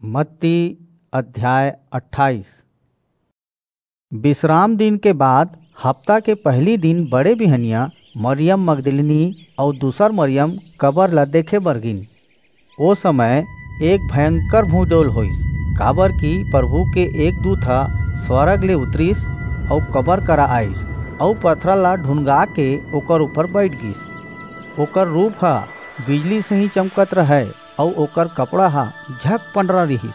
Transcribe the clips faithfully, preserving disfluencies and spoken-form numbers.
मत्ती अध्याय अट्ठाईस। विश्राम दिन के बाद हफ्ता के पहली दिन बड़े बिहनिया मरियम मगदलिनी अऊ दूसर मरियम कबर ला देखे बर गिन। ओ समय एक भयंकर भूडोल होइस, काबर कि प्रभु के एक दूत ह स्वर्ग ले उतरिस अऊ कबर करा आइस अऊ पथरा ला ढुनगा के ओकर ऊपर बैठ गिस। ओकर रूप ह बिजली सही चमकत रहय अऊ ओकर कपड़ा ह झक पंडरा रिहिस।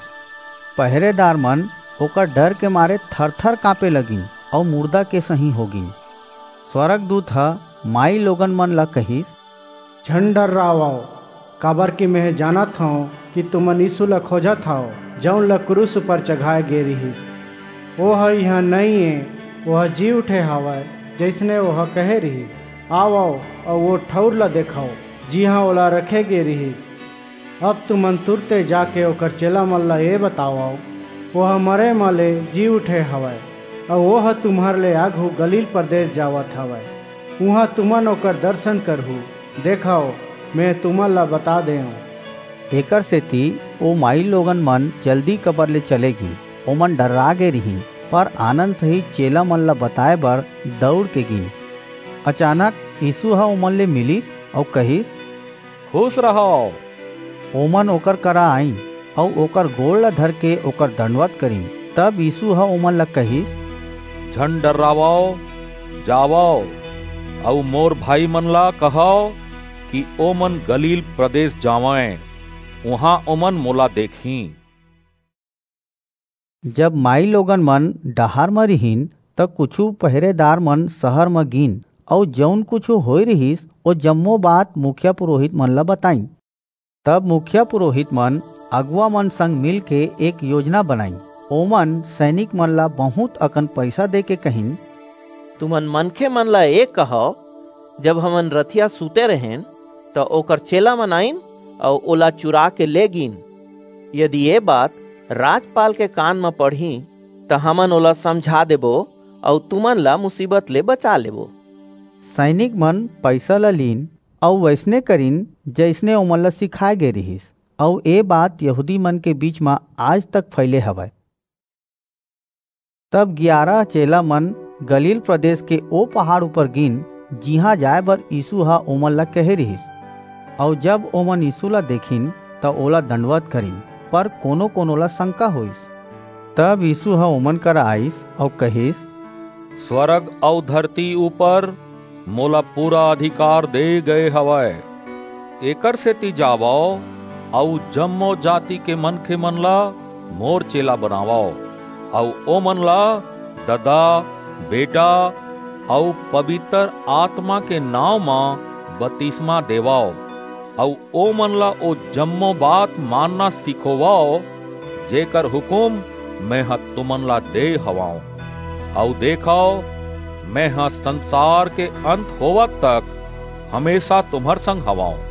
पहरेदार मन ओकर डर के मारे थर-थर कांपे लगिन अऊ मुर्दा के सही हो गिन। स्वर्गदूत ह माई लोगन मन ला कहिस, "झन डर्रावव, काबर कि मेंह जानत हंव कि तुमन यीसू ला खोजत हव, जऊन ला क्रूस ऊपर चघाय गे रिहिस। ओह इहां नइं ए, ओह जी उठे हवय, जइसने ओह कहे रिहिस। आवव अऊ ओ ठऊर ला देखव, जिहां ओला रखे गे रिहिस। अब तुमन तुरते जाके ओकर चेला मन ला ए बतावव, ओह मरे म ले जी उठे हवय, अऊ ओह तुम्हर ले आघू गलील प्रदेस जावत हवय। उहां तुमन ओकर दरसन करहू। देखव, मेंह तुमन ला बता देंव।" एकरसेति ओ माईलोगन मन जल्दी कबर ले चले गीन। ओमन डर्रा गे रिहिन, पर आनंद सहित चेला मन ला बताय बर दऊर के गीन। अचानक यीसू ह ओमन ले मिलिस अऊ कहिस, "खुस रहव।" ओमन ओकर करा आईन अऊ ओकर गोड़ ला धरके ओकर दंडवत करिन। तब यीसू ह ओमन ला कहिस, "झन डर्रावव, जावव अऊ मोर भाईमन ला कहव कि ओमन गलील प्रदेस जावंय, उहां ओमन मोला देखहीं।" जब माईलोगन मन डहार म रिहिन, त कुछू पहरेदार मन सहर म गीन अऊ जऊन कुछू होय रिहिस, ओ जम्मो बात मुखिया पुरोहित मन ला बताईन। तब मुखिया पुरोहित मन अगुवा मन संग मिलके एक योजना बनाईन। ओमन सैनिक मन ला बहुंत अकन पईसा देके कहिन, "तुमन मनखे मन ला ए कहव, जब हमन रतिहा सुते रहेन, त ओकर चेला मन आईन अऊ ओला चुरा के ले गीन। यदि ए बात राजपाल के कान म पड़ही, त हमन ओला समझा देबो अऊ तुमन ला मुसीबत ले बचा लेबो।" सैनिक मन पईसा ला लीन अऊ वइसने करिन, जइसने ओमन ला सिखाय गे रिहिस। अऊ ए बात यहूदी मन के बीच म आज तक फइले हवय। तब गियारा चेला मन गलील प्रदेस के ओ पहाड़ ऊपर गीन, जिहां जाय बर यीसू ह ओमन ला कहे रिहिस। अऊ जब ओमन यीसू ला देखिन, त ओला दंडवत करिन, पर कोनो-कोनो ला संका होईस। तब यीसू ह ओमन करा आईस अऊ कहिस, "स्वर्ग अऊ धरती ऊपर मोला पूरा अधिकार दे गए हवय। एकरसेति जावव अऊ जम्मो जाति के मनखे मन ला मोर चेला बनावव, अऊ ओमन ला ददा, बेटा अऊ पबितर आतमा के नांव म बतिसमा देवव, अऊ ओमन ला ओ जम्मो बात मानना सिखोवव, जेकर हुकूम मेंह तुमन ला दे हवंव। अऊ देखव, मेंह संसार के अंत होवत तक हमेसा तुम्हर संग हवंव।"